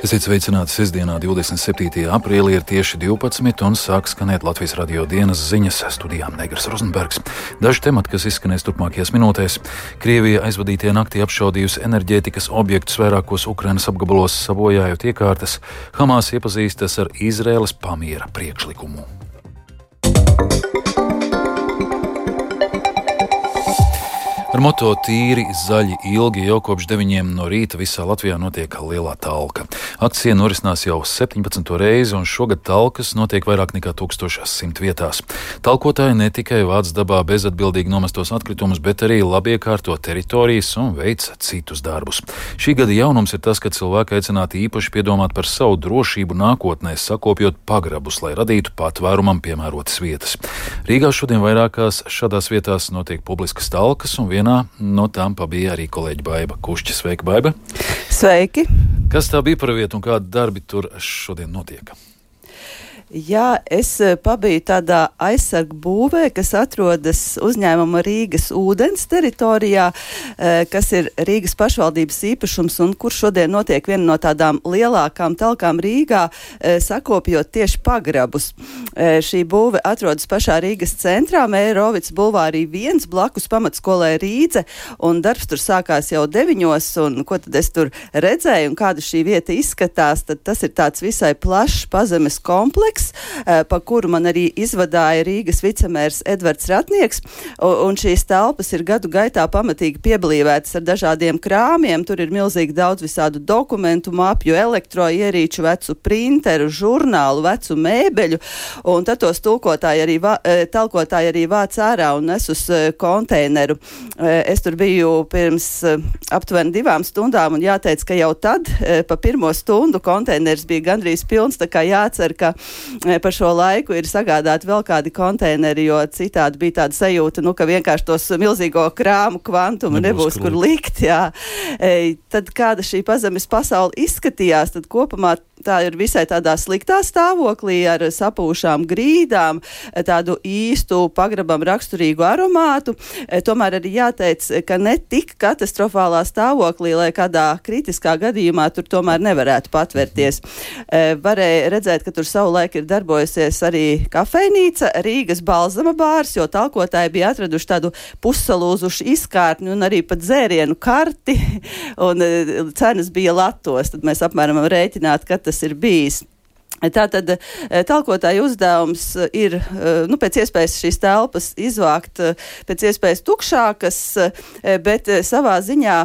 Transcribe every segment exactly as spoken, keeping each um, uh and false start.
Esiet sveicināti sestdienā, divdesmit septītajā aprīlī, ir tieši divpadsmit un sāk skanēt Latvijas radio dienas ziņas, studijā Negras Rozenbergs. Daži temati, kas izskanēs turpmākajās minūtēs. Krievija aizvadītajā naktī apšaudījusi enerģētikas objektus vairākos Ukrainas apgabalos, sabojājot iekārtas. Hamas iepazīstas ar Izraēlas pamiera priekšlikumu. Ar moto tīri, zaļi, ilgi jau kopš deviņiem no rīta visā Latvijā notiek lielā talka. Akcija norisinās jau septiņpadsmito reizi, un šogad talkas notiek vairāk nekā tūkstoš simt vietās. Talkotāji ne tikai vāc dabā bezatbildīgi nomestos atkritumus, bet arī labi iekārto teritorijas un veic citus darbus. Šī gada jaunums ir tas, ka cilvēki aicināti īpaši piedomāt par savu drošību nākotnē, sakopjot pagrabus, lai radītu patvērumam piemērotas vietas. Rīgā šodien vairākās šādās vietās notiek publiskas talkas, un vienā no tām pabija arī kolēģi Baiba Kušķa. Sveika, Baiba! Sveiki! Kas tā bija par vietu un kādi darbi tur šodien notiek? Jā, es pabiju tādā aizsargu būvē, kas atrodas uzņēmuma Rīgas ūdens teritorijā, kas ir Rīgas pašvaldības īpašums un kur šodien notiek viena no tādām lielākām talkām Rīgā, sakopjot tieši pagrabus. Šī būve atrodas pašā Rīgas centrā, Mērovics bulvārī viens, blakus pamatskolē Rīdze, un darbs tur sākās jau deviņos, un ko tad es tur redzēju un kāda šī vieta izskatās, tad tas ir tāds visai plašs pazemes kompleks, pa kuru man arī izvadāja Rīgas vicemērs Edvards Ratnieks, un šīs telpas ir gadu gaitā pamatīgi pieblīvētas ar dažādiem krāmiem. Tur ir milzīgi daudz visādu dokumentu, mapju, elektroierīču, vecu printeru, žurnālu, vecu mēbeļu, un tad tos tulkotāji arī, vā, talkotāji arī vāc ārā un nes uz konteineru. Es tur biju pirms aptuveni divām stundām, un jāteic, ka jau tad pa pirmo stundu konteiners bija gandrīz pilns, tā kā jācer, ka par šo laiku ir sagādāti vēl kādi konteineri, jo citādi bija tāda sajūta, nu, ka vienkārši tos milzīgo krāmu kvantumu nebūs, nebūs kur likt. Jā. E, tad kāda šī pazemes pasaule izskatījās, tad kopumā tā ir visai tādā sliktā stāvoklī ar sapūšām grīdām, tādu īstu pagrabam raksturīgu aromātu. E, tomēr arī jāteic, ka ne tik katastrofālā stāvoklī, lai kādā kritiskā gadījumā tur tomēr nevarētu patvērties. E, varēja redzēt, ka tur savulaik ir darbojusies arī kafejnīca, Rīgas Balzama bārs, jo talkotāji bija atraduši tādu pussalūzušu izkārtni un arī pat dzērienu karti, un e, cenas bija latos. Tad mēs apmēram rēķināt, ka tas ir bijis. Tātad talkotāju uzdevums ir, nu, pēc iespējas šīs telpas izvākt pēc iespējas tukšākas, bet savā ziņā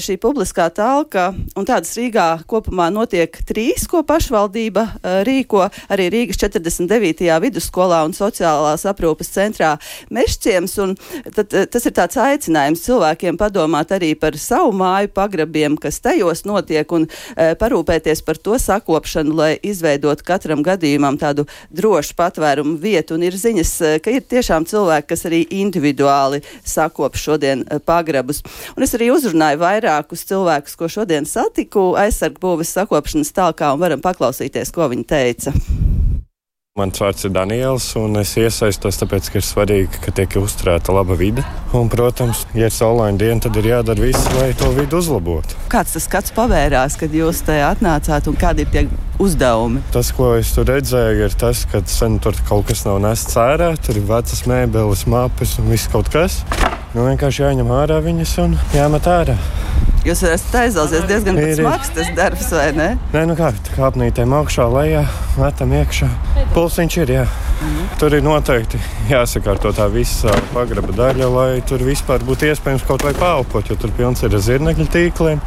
šī publiskā talka, un tādas Rīgā kopumā notiek trīs, ko pašvaldība rīko, arī Rīgas četrdesmit devītajā vidusskolā un sociālās aprūpes centrā Mežciems, un tad, tas ir tāds aicinājums cilvēkiem padomāt arī par savu māju pagrabiem, kas tajos notiek, un parūpēties par to sakopšanu, lai izveidot katram gadījumam tādu drošu patvērumu vietu, un ir ziņas, ka ir tiešām cilvēki, kas arī individuāli sakop šodien pagrabus. Un es arī uzrunāju vairākus cilvēkus, ko šodien satiku aizsargu būves sakopšanas talkā, un varam paklausīties, ko viņi teica. Mans vārds ir Daniels, un es iesaistos tāpēc, ka ir svarīgi, ka tiek uzturēta laba vide. Un, protams, ja ir saulaina diena, tad ir jādara viss, lai to vidu uzlabotu. Kāds tas skats pavērās, kad jūs te atnācāt, un kādi ir tie uzdevumi? Tas, ko es tur redzēju, ir tas, ka sen tur kaut kas nav nests ārā, tur ir vecas mēbeles, māpes un viss kaut kas. Nu, vienkārši jāņem ārā viņas un jāmet ārā. Jūs esat aizauzies diezgan smags tas darbs, vai ne? Nē, nu kā, kāpnītēm augšā, lejā, metam iekšā. Pulsiņš ir, jā. Mhm. Tur ir noteikti jāsakārto tā visa pagraba daļa, lai tur vispār būtu iespējams kaut vai paelpot, jo tur pilns ir ar zirnekļu tīkliem.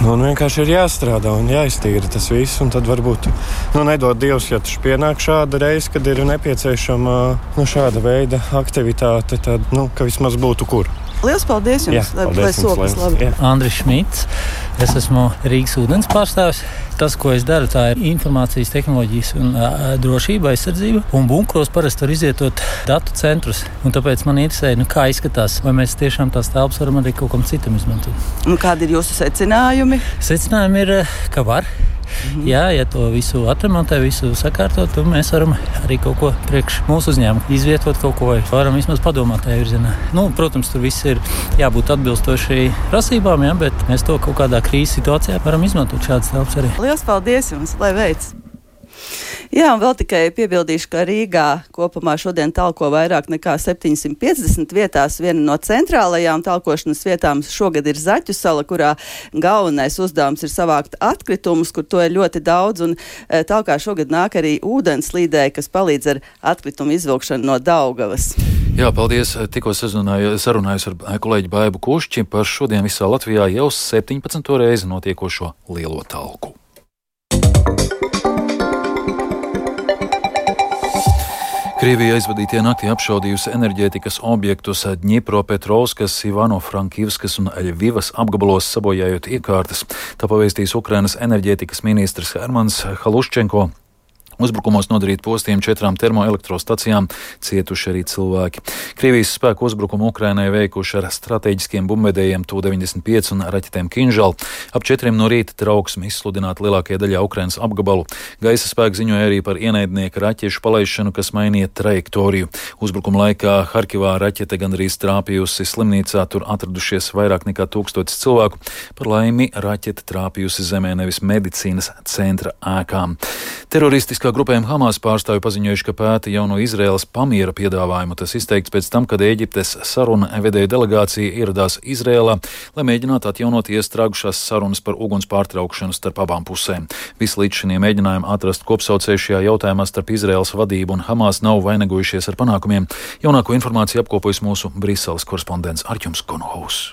Un vienkārši ir jāstrādā un jāiztīra tas viss, un tad varbūt, nu, nedod Dievs, ja taču pienāk šāda reize, kad ir nepieciešama, nu, šāda veida aktivitāte, tad, nu, ka vismaz būtu kur. Liels paldies jums, jā, paldies lai sokas labi. Andris Šmits, es esmu Rīgas ūdens pārstāvis. Tas, ko es daru, tā ir informācijas tehnoloģijas un uh, drošība, aizsardzība. Un bunkros parasti var izvietot datu centrus. Un tāpēc man interesē, nu, kā izskatās, vai mēs tiešām tās telpas varam arī kaut kam citam izmantot. Un kādi ir jūsu secinājumi? Secinājumi ir, ka var. Mm-hmm. Jā, ja to visu atremontē, visu sakārtot, tad mēs varam arī kaut ko priekš mūsu uzņēmumu izvietot kaut ko, vai varam vismaz padomāt tajā virzienā. Nu, protams, tur viss ir jābūt atbilstoši prasībām, jā, bet mēs to kaut kādā krīzes situācijā varam izmantot šādas telpas arī. Lielas paldies jums, lai veids! Jā, un vēl tikai piebildīšu, ka Rīgā kopumā šodien talko vairāk nekā septiņsimt piecdesmit vietās. Viena no centrālajām talkošanas vietām šogad ir Zaķu sala, kurā galvenais uzdevums ir savākt atkritumus, kur to ir ļoti daudz, un e, talkā šogad nāk arī ūdenslīdēji, kas palīdz ar atkritumu izvilkšanu no Daugavas. Jā, paldies. Tikko sarunājos ar kolēģi Baibu Kušķi par šodien visā Latvijā jau septiņpadsmito reizi notiekošo lielo talku. Krievija aizvadītie naktī apšaudījusi enerģētikas objektus Dņipropetrovskas, Ivano-Frankivskas un Ļvivas apgabalos, sabojājot iekārtas. Tā pavēstīs Ukrainas enerģētikas ministrs Hermans Haluščenko. Uzbrukumos nodarīt postiem četrām termoelektrostacijām, cietuši arī cilvēki. Krievijas spēku uzbrukumu Ukrainai veikuši ar strateģiskiem bumbvedējiem Tu deviņdesmit pieci un raķetēm Kinžal. Ap četriem no rīta trauksmi izsludināta lielākajā daļā Ukrainas apgabalu. Gaisa spēki ziņoja arī par ienaidnieka raķešu palaišanu, kas mainīja trajektoriju. Uzbrukuma laikā Harkivā raķete gandrīz trāpījusi slimnīcā, tur atradušies vairāk nekā tūkstotis cilvēku. Par laimi raķete trāpījusi zemē, nevis medicīnas centra ēkām. Teroristiskā grupējuma Hamas pārstāvji paziņojuši, ka pēta jauno Izraēlas pamiera piedāvājumu. Tas izteikts pēc tam, kad Ēģiptes saruna vedēja delegācija ieradās Izraēlā, lai mēģinātu atjaunot iestrēgušās sarunas par uguns pārtraukšanu starp abām pusēm. Visi līdz šiem mēģinājumi atrast kopsaucēju šajā jautājumā starp Izraēlas vadību un Hamas nav vainagojušies ar panākumiem. Jaunāko informāciju apkopojas mūsu Briseles korespondents Arķums Konohaus.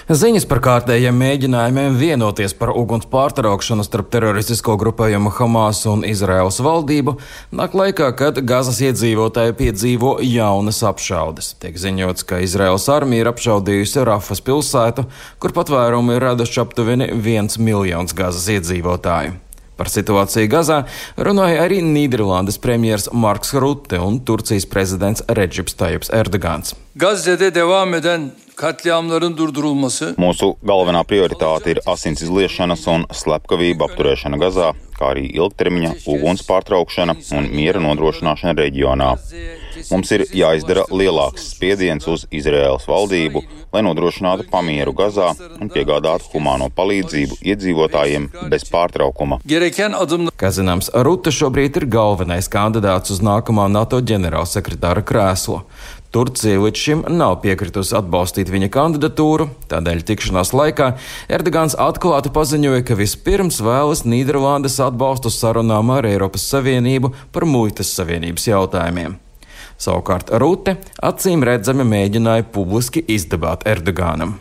Ziņas par kārtējiem mēģinājumiem vienoties par uguns pārtraukšanu starp teroristisko grupējumu Hamas un Izraēlas valdību nāk laikā, kad Gazas iedzīvotāji piedzīvo jaunas apšaudes. Tiek ziņots, ka Izraēlas armija ir apšaudījusi Rafas pilsētu, kur patvērumu ir raduši aptuveni viens miljons Gazas iedzīvotāju. Par situāciju Gazā runāja arī Nīderlandes premjers Marks Rutte un Turcijas prezidents Redžips Tajips Erdogans. Gazze'de devam eden katliamların durdurulması. Mūsu galvenā prioritāte ir asins izliešanas un slepkavību apturēšana Gazā, kā arī ilgtermiņa uguns pārtraukšana un miera nodrošināšana reģionā. Mums ir jāizdara lielāks spiediens uz Izraēlas valdību, lai nodrošinātu pamieru Gazā un piegādātu humāno palīdzību iedzīvotājiem bez pārtraukuma. Kā zināms, Rutte šobrīd ir galvenais kandidāts uz nākamā NATO ģenerālsekretāra krēslu. Turcija līdz šim nav piekritusi atbalstīt viņa kandidatūru, tādēļ tikšanās laikā Erdogans atklāti paziņoja, ka vispirms vēlas Nīderlandes atbalstu sarunām ar Eiropas Savienību par muitas savienības jautājumiem. Savukārt Rutte acīm redzami mēģināja publiski izdabāt Erdoganam.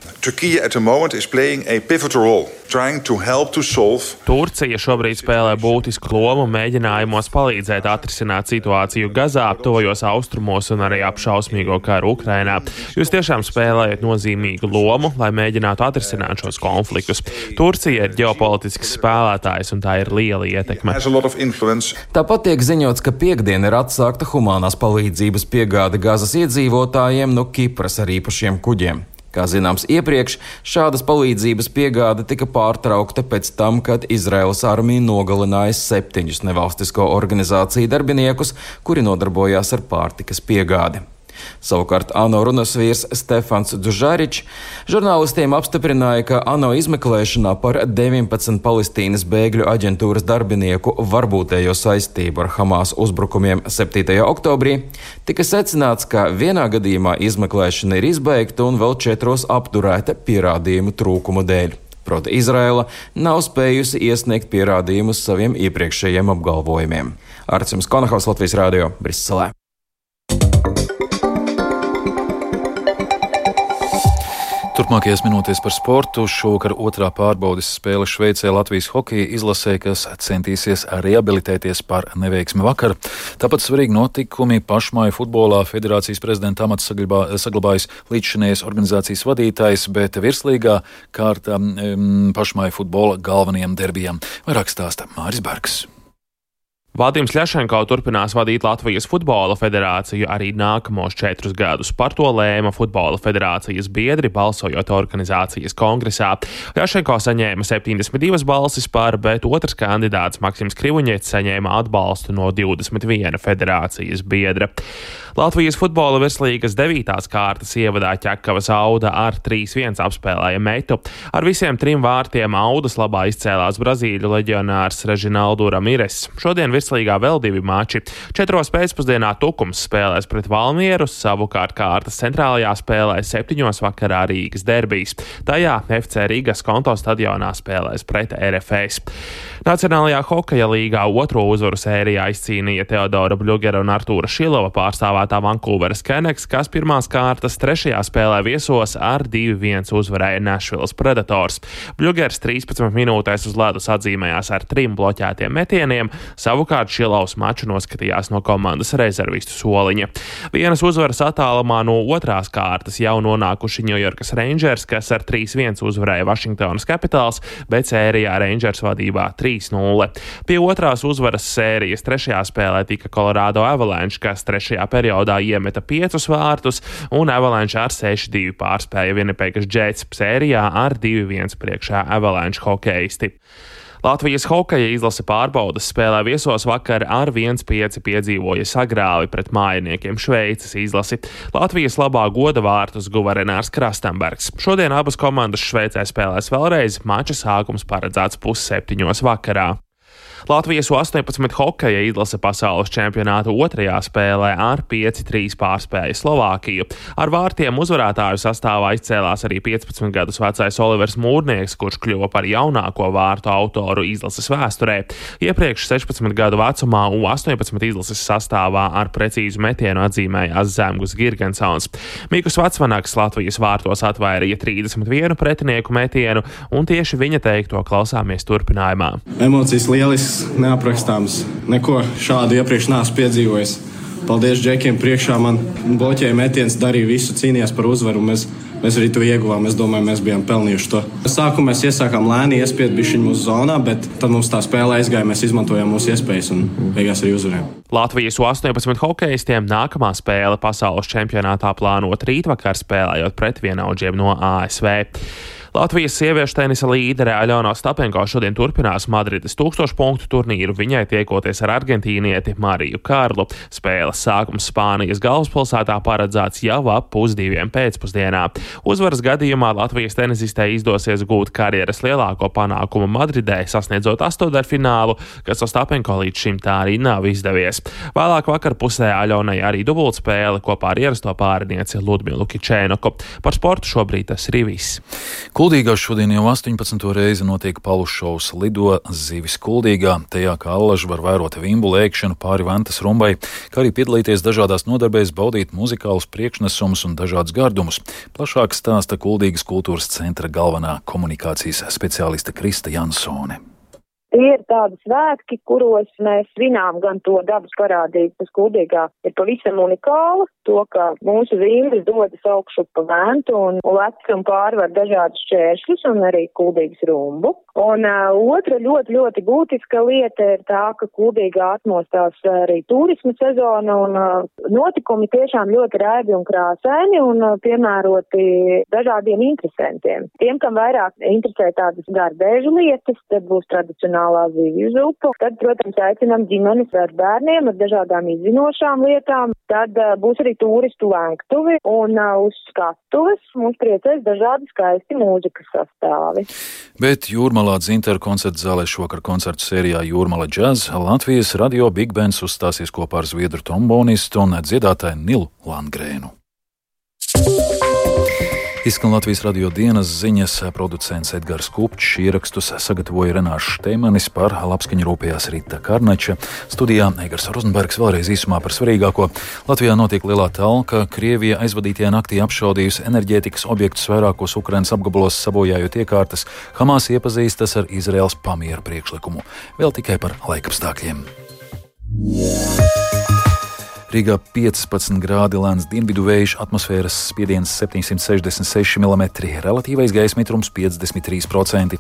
Turcija šobrīd spēlē būtisku lomu mēģinājumos palīdzēt atrisināt situāciju Gazā, tuvajos austrumos un arī apšausmīgo karu Ukrainā. Jūs tiešām spēlējat nozīmīgu lomu, lai mēģinātu atrisināt šos konfliktus. Turcija ir ģeopolitisks spēlētājs un tā ir liela ietekme. Tāpat tiek ziņots, ka piektdien ir atsākta humanās palīdzības piegāde Gazas iedzīvotājiem no Kipras ar īpašiem kuģiem. Kā zināms iepriekš, šādas palīdzības piegāde tika pārtraukta pēc tam, kad Izraēlas armija nogalināja septiņus nevalstisko organizāciju darbiniekus, kuri nodarbojās ar pārtikas piegādi. Savukārt ANO runas vīrs Stefans Džužaričs žurnālistiem apstiprināja, ka ANO izmeklēšanā par deviņpadsmit Palestīnas bēgļu aģentūras darbinieku varbūtējo saistību ar Hamas uzbrukumiem septītajā oktobrī tika secināts, ka vienā gadījumā izmeklēšana ir izbeigta un vēl četros apturēta pierādījumu trūkumu dēļ. Proti Izraēla nav spējusi iesniegt pierādījumus saviem iepriekšējiem apgalvojumiem. Arķums Konohaus, Latvijas Rādio, Briselē. Turpmākajās minūtēs par sportu. Šovakar otrā pārbaudes spēle Šveicē Latvijas hokeja izlasē, kas centīsies rehabilitēties par neveiksmi vakar. Tāpat svarīgi notikumi pašmāju futbolā. Federācijas prezidenta amats saglabājas līdzšinējas organizācijas vadītājs, bet virslīgā kārta um, pašmāju futbola galvenajiem derbijam. Vairāk stāsta Māris Bergs. Vadims Ļašenko turpinās vadīt Latvijas Futbola federāciju arī nākamos četrus gadus. Par to lēma Futbola federācijas biedri, balsojot organizācijas kongresā. Ļašenko saņēma septiņdesmit divas balsis par, bet otrs kandidāts Maksims Krivuņets saņēma atbalstu no divdesmit viena federācijas biedra. Latvijas Futbola virslīgas devītās kārtas ievadā Ķekavas Auda ar trīs viens apspēlēja Metu. Ar visiem trim vārtiem Audas labā izcēlās Brazīļu leģionārs Režinaldu Ramires. Šodien virslīgā vēl divi mači. Četros pēcpusdienā Tukums spēlēs pret Valmieru, savukārt kārtas centrālajā spēlē septiņos vakarā Rīgas derbijs. Tajā F C Rīgas Konto stadionā spēlēs pret R F S. Nacionālajā hokeja līgā otro uzvaru sērijā izcīnīja Teodora Bļugera un Artūra Šilova pārstāvētā Vankūveras Canucks, kas pirmās kārtas trešajā spēlē viesos ar divi viens uzvarēja Nashvilles Predators. Bļugers trīspadsmit minūtēs uz ledus atzīmējās ar trim bloķētiem metieniem, savukārt Šilovs maču noskatījās no komandas rezervistu soliņa. Vienas uzvaras attālumā no otrās kārtas jau nonākuši Ņujorkas Rangers, kas ar trīs viens uzvarēja Vašingtonas Capitals, bet sērijā Rangers vadībā trīs nulle. Pie otrās uzvaras sērijas trešajā spēlē tika Colorado Avalanche, kas trešajā periodā iemeta piecus vārtus, un Avalanche ar seši divi pārspēja Winnipegas Jets. Sērijā ar divi viens priekšā Avalanche hokeisti. Latvijas hokeja izlase pārbaudas spēlē viesos vakar ar viens pieci piedzīvoja sagrāvi pret mājiniekiem Šveices izlasi. Latvijas labā goda vārtus guva Renārs Krastenbergs. Šodien abas komandas Šveicē spēlēs vēlreiz, mača sākums paredzēts pusseptiņos vakarā. Latvijas U astoņpadsmit hokeja izlase pasaules čempionāta otrajā spēlē ar pieci trīs pārspēja Slovākiju. Ar vārtiem uzvarētāju sastāvā izcēlās arī piecpadsmit gadus vecais Olivers Mūrnieks, kurš kļuva par jaunāko vārtu autoru izlases vēsturē. Iepriekš sešpadsmit gadu vecumā U astoņpadsmit izlases sastāvā ar precīzu metienu atzīmējās Zemgus Girgensons. Mikus Vacvanaks Latvijas vārtos atvairīja trīsdesmit vienu pretinieku metienu, un tieši viņa teikto klausāmies turpinājumā. Emocijas lielisks, neaprakstāms. Neko šādu iepriekš neesmu piedzīvojis. Paldies džekiem priekšā, man bloķēja metiens, darīja visu, cīnījās par uzvaru. Mēs, mēs arī to ieguvām, es domāju, mēs bijām pelnījuši to. Sākumā mēs iesākām lēni, iespied bišķiņ mūsu zonā, bet tad mums tā spēle aizgāja, mēs izmantojām mūsu iespējas un beigās arī uzvarējām. Latvijas U astoņpadsmit hokeistiem nākamā spēle pasaules čempionātā plānota rītvakar, spēlējot pret vienaudžiem no A S V. Latvijas sieviešu tenisa līdere Aļona Ostapenko šodien turpinās Madrides tūkstošu punktu turnīru, viņai tiekoties ar argentīnieti Mariju Karlu. Spēles sākums Spānijas galvaspilsētā paredzēts jau ap pusdiviem pēcpusdienā. Uzvaras gadījumā Latvijas tenisistei izdosies gūt karjeras lielāko panākumu Madridē, sasniedzot astoņdaļfinālu, kas Ostapenko līdz šim tā arī nav izdevies. Vēlāk vakar pusē Aļonai arī dubultspēle kopā ar ierasto pārinieci Ludmilu Kičēnoku. Par sportu šobrīd tas ir viss. Kuldīgā šodien jau astoņpadsmito reizi notiek palušovs Lido zivis Kuldīgā. Tajā kā allaži var vērot vimbulu ēkšanu pāri Ventas rumbai, kā arī piedalīties dažādās nodarbēs, baudīt muzikālus priekšnesumus un dažādus gardumus. Plašāk stāsta Kuldīgas kultūras centra galvenā komunikācijas speciāliste Krista Jansone. Tie ir tādi svētki, kuros mēs svinām gan to dabas parādību, kas Kuldīgā ir pavisam unikāla, to, ka mūsu vimbas dodas augšu pa Ventu un lec un pārvar dažādus šķēršļus un arī Kuldīgas rumbu. Un uh, otra ļoti, ļoti būtiska lieta ir tā, ka Kuldīgā atmostās arī turisma sezona un uh, notikumi tiešām ļoti raibi un krāsaini un uh, piemēroti dažādiem interesantiem. Tiem, kam vairāk interesē tādas gardēžu lietas, tad būs tradicionālā zivju zupa. Tad, protams, aicinām ģimenes ar bērniem ar dažādām izzinošām lietām. Tad uh, būs arī turistu lenktuvi un uh, uz skatuves mums priecēs dažādi skaisti mūzikas sastāvi. Bet Jūrmalā Dzintara koncerta zālē šovakar koncertu sērijā Jūrmala Jazz Latvijas radio Big Bands uzstāsies kopā ar zviedru trombonistu un dziedātāju Nilu Landgrēnu. Izskan Latvijas radio dienas ziņas, producents Edgars Kupčs, ierakstus sagatavoja Renārs Šteimanis, par labskaņu rūpējās Rita Karneča. Studijā Egars Rozenbergs. Vēlreiz īsumā par svarīgāko. Latvijā notiek lielā talka. Krievija aizvadītajā naktī apšaudījusi enerģētikas objektus vairākos Ukrainas apgabalos, sabojājot iekārtas. Hamas iepazīstas ar Izraēlas pamiera priekšlikumu. Vēl tikai par laikapstākļiem. Rīgā piecpadsmit grādi, lēns dienvidu vējš, atmosfēras spiediens septiņsimt sešdesmit seši milimetri, relatīvais gaisa mitrums piecdesmit trīs procenti.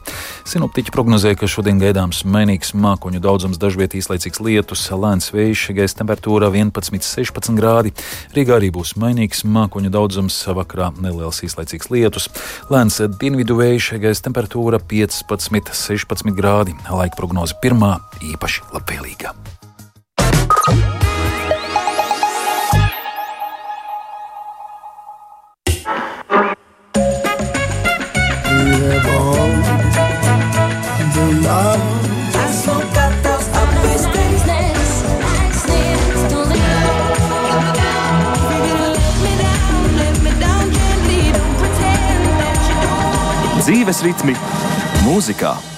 Sinoptiķi prognozē, ka šodien gaidāms mainīgs mākoņu daudzums, dažviet īslaicīgs lietus, lēns vējš, gaisa temperatūra vienpadsmit sešpadsmit grādi. Rīgā arī būs mainīgs mākoņu daudzums, vakarā neliels īslaicīgs lietus, lēns dienvidu vējš, gaisa temperatūra piecpadsmit sešpadsmit grādi. Laika prognoze pirmā īpaši labvēlīga. Dzīves ritmi mūzikā.